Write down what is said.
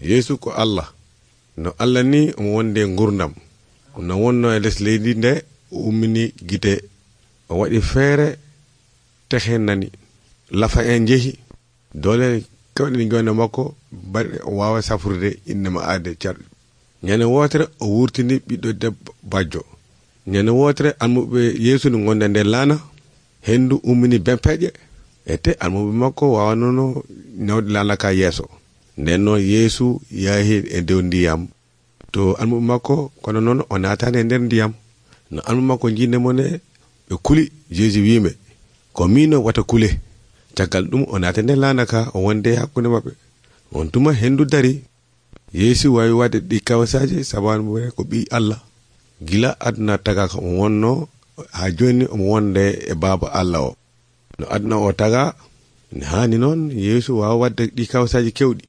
Yeesu ko Allah. No Allah ni omo wonde gurdam. No wonno e les leydi nde o ummini gite, o waɗi feere, tehe nani, lafa en jehi, dole kawɗe jonde makko bari o wawa safrude inde ma aade carɗi. Ñande wotere o wurtini ɓiɗɗo debbo bajjo. Ñande wotere almuɓe Yeesu no gonde nder laana, hendu ummini bempeƴe, ete almuɓe makko wawanono nawde laana ka yeeso. Nden noon Yeesu yahi e dow ndiyam to almuɓe makko, kono noon o naatani e nder ndiyam. No almuɓe makko jindemo ne ɓe kuli, Jeesu wiime ko miino wata kule. Caggal ɗum o naata nder laana ka, o wonde hakkunde maɓɓe. On tuma hendu dari. Yeesu wawi wadde ɗi kawsaji sababu ko ɓi Allah. Gila aduna taga ko o wonno ha joni omo wonde e Baaba Allah o. No aduna o taga ne hani noon Yeesu wawa wadde ɗi kawsaji kewɗi.